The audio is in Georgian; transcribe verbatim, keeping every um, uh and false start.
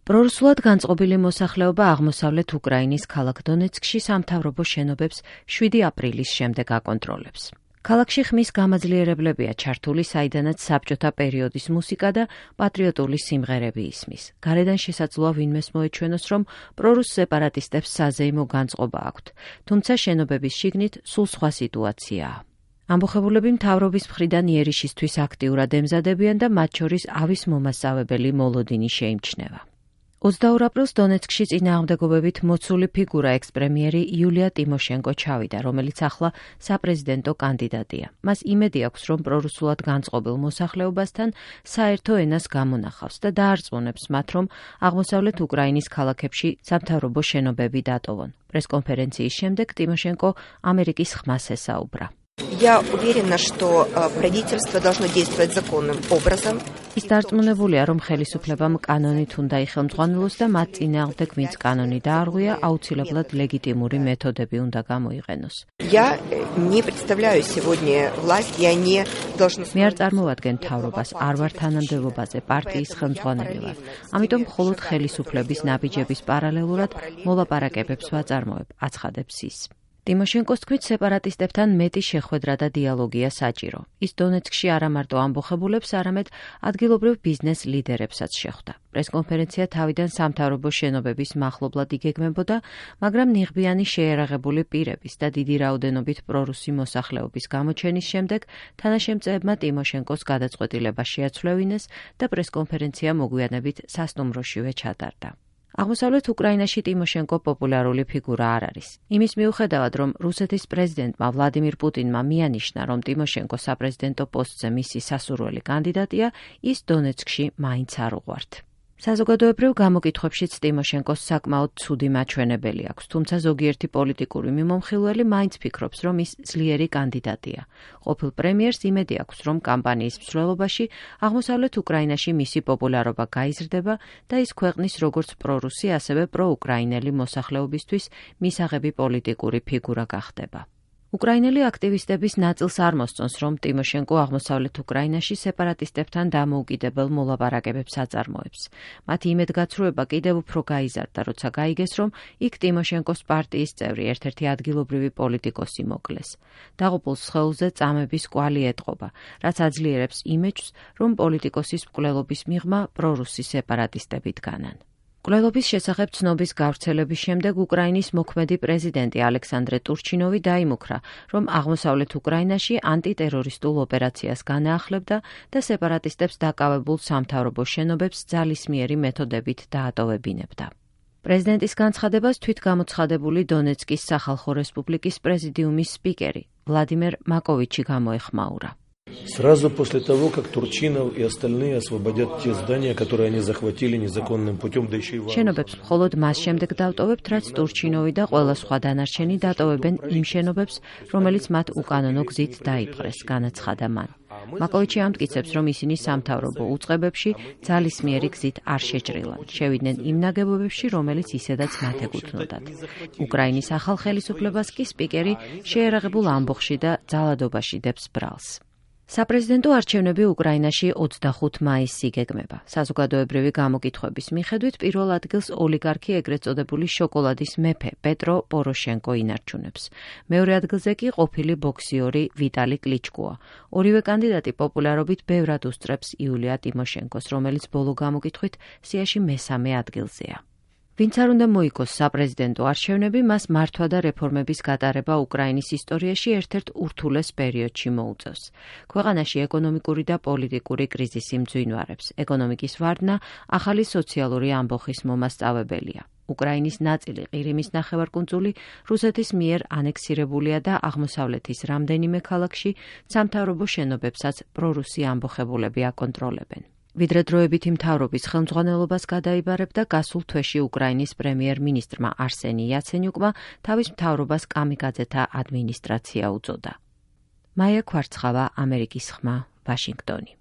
პრორუსულად განწყობილი მოსახლეობა აღმოსავლეთ უკრაინის ქალაქ დონეცკში სამთავრობო შენობებს შვიდი აპრილის შემდეგ აკონტროლებს. ქალაქში ხმის გამაძლიერებლებია ჩართული, საიდანაც საბჭოთა პერიოდის მუსიკა და პატრიოტული სიმღერები ისმის. გარედან შესაძლოა ვინმეს მოეჩვენოს, რომ პრორუს სეპარატისტებს საზეიმო განწყობა აქვთ, თუმცა შენობების შიგნით სულ სხვა სიტუაციაა. ამბოხებულები მთავრობის მხრიდან იერიშისთვის აქტიურად ემზადებიან და მათ შორის ავის მომასწავებელი მოლოდინი შეიმჩნევა. ოცდაორ აპრილს დონეცკში წინააღმდეგობებით მოცული ფიგურა ექს-პრემიერი იულია ტიმოშენკო ჩავიდა, რომელიც ახლა საპრეზიდენტო კანდიდატია. მას იმედი აქვს, რომ პრორუსულად განწყობილ მოსახლეობასთან საერთო ენას გამონახავს და დაარწმუნებს მათ, რომ აღმოსავლეთ უკრაინის ქალაქებში სამთავრობო შენობები დატოვონ. პრესკონფერენციის შემდეგ ტიმოშენკო ამერიკის ხმას ესაუბრა. Я уверена, что правительство должно действовать законным образом. ის დარწმუნებულია, რომ ხელისუფლებამ კანონით უნდა იხელმძღვანელოს და მათ წინააღმდეგ, ვინც კანონი დაარღვია, აუცილებლად ლეგიტიმური მეთოდები უნდა გამოიყენოს. Я не представляю сегодня власть, я не должна. მე არ წარმოვადგენ მთავრობას, არ ვარ თანამდებობაზე, პარტიის ხელმძღვანელი ვარ. ამიტომ მხოლოდ ხელისუფლების ნაბიჯების პარალელურად მოლაპარაკებებს ვაწარმოებ, აცხადებს ის. ტიმოშენკოს თქმით, სეპარატისტებთან მეტი შეხვედრა და დიალოგია საჭირო. ის დონეცკში არა მარტო ამბოხებულებს, არამედ ადგილობრივ ბიზნეს ლიდერებსაც შეხვდა. პრესკონფერენცია თავიდან სამთავრობო შენობების მახლობლად იგეგმებოდა, მაგრამ ნიღბიანი შეერაღებული პირების და დიდი რაოდენობით პრორუსი მოსახლეობის გამოჩენის შემდეგ თანაშემწეებმა ტიმოშენკოს გადაწყვეტილება შეაცვლევინეს და პრესკონფერენცია მოგვიანებით სასტუმროშივე ჩატარდა. აღმოსავლეთ უკრაინაში ტიმოშენკო პოპულარული ფიგურა არ არის. იმის მიუხედავად, რომ რუსეთის პრეზიდენტმა ვლადიმირ პუტინმა მიანიშნა, რომ ტიმოშენკო საპრეზიდენტო პოსტზე მისი სასურველი კანდიდატია, ის დონეცკში მაინც არ უყვართ. საზოგადოებრივ გამოკითხვებშიც ტიმოშენკოს საკმაოდ ცუდი მაჩვენებელი აქვს, თუმცა ზოგიერთი პოლიტიკური მიმომხილველი მაინც ფიქრობს, რომ ის ძლიერი კანდიდატია. ყოფილ პრემიერს იმედი აქვს, რომ კამპანიის მსვლელობაში აღმოსავლეთ უკრაინაში მისი პოპულარობა გაიზრდება და ის ქვეყნის როგორც პრორუსი, ასევე პროუკრაინელი მოსახლეობისთვის მისაღები პოლიტიკური ფიგურა გახდება. უკრაინელი აქტივისტების ნაწილს არ მოსწონს, რომ ტიმოშენკო აღმოსავლეთ უკრაინაში სეპარატისტებთან დამოუკიდებელ მოლაპარაკებებს აწარმოებს. მათი იმედგაცრუება კიდევ უფრო გაიზარდა, როცა გაიგეს, რომ იქ ტიმოშენკოს პარტიის წევრი, ერთ-ერთი ადგილობრივი პოლიტიკოსი მოკლეს. დაღუპულ სხეულზე წამების კვალი ეტყობა, რაც აძლიერებს იმეჯს, რომ პოლიტიკოსის მკვლელობის მიღმა პრორუსი სეპარატისტები დგანან. მკვლელობის შესახებ ცნობის გავრცელების შემდეგ უკრაინის მოქმედი პრეზიდენტი ალექსანდრე ტურჩინოვი დაიმუქრა, რომ აღმოსავლეთ უკრაინაში ანტიტერორისტულ ოპერაციას განაახლებდა და სეპარატისტებს დაკავებულ სამთავრობო შენობებს ძალისმიერი მეთოდებით დაატოვებინებდა. პრეზიდენტის განცხადებას თვითგამოცხადებული დონეცკის სახალხო რესპუბლიკის პრეზიდიუმის სპიკერი ვლადიმერ მაკოვიჩი გამოეხმაურა. Сразу после того, как Турчинов и остальные освободят те здания, которые они захватили незаконным путем, да еще и в შენობებს მხოლოდ მას შემდეგ დავტოვებთ, რაც ტურჩინოვი და ყველა სხვა დანარჩენი დატოვებენ იმ შენობებს, რომელიც მათ უკანონო გზით დაიპყრეს, განაცხადა მან. მაკოვიჩი ამტკიცებს, რომ ისინი სამთავრობო უწყებებში ძალისმიერი გზით არ შეჭრილან, შევიდნენ იმ ნაგებობებში, რომელიც ისედაც მათ ეკუთვნოდათ. უკრაინის ახალ ხელისუფლებას კი სპიკერი შეერაღებულ ამბოხში და ძალადობაში დებს ბრალს. საპრეზიდენტო არჩევნები უკრაინაში ოცდახუთ მაისს იგეგმება. საზოგადოებრივი გამოკითხვების მიხედვით პირველ ადგილს ოლიგარქი ეგრეთ წოდებული შოკოლადის მეფე პეტრო პოროშენკო ინარჩუნებს. მეორე ადგილზე კი ყოფილი ბოქსიორი ვიტალი კლიჩკოა. ორივე კანდიდატი პოპულარობით ბევრად უსწრებს იულია ტიმოშენკოს, რომელიც ბოლო გამოკითხვით სიაში მესამე ადგილზეა. ვინც არ უნდა მოიგოს საპრეზიდენტო არჩევნები, მას მართვა და რეფორმების გატარება უკრაინის ისტორიაში ერთ-ერთ ურთულეს პერიოდში მოუწევს. ქვეყანაში ეკონომიკური და პოლიტიკური კრიზისი მძვინვარებს. ეკონომიკის ვარდნა ახალი სოციალური ამბოხის მომასწავებელია. უკრაინის ნაწილი, ყირიმის ნახევარკუნძული, რუსეთის მიერ ანექსირებულია და აღმოსავლეთის რამდენიმე ქალაქში სამთავრობო შენობებსაც პრორუსი ამბოხებულები აკონტროლებენ. ვიდრე დროებითი მთავრობის ხელმძღვანელობას გადაიბარებდა გასულ თვეში უკრაინის პრემიერ-მინისტრმა არსენი იაცენიუკმა თავის მთავრობას კამიკაძეთა ადმინისტრაცია უწოდა. მაია ქვარცხავა, ამერიკის ხმა, ვაშინგტონი.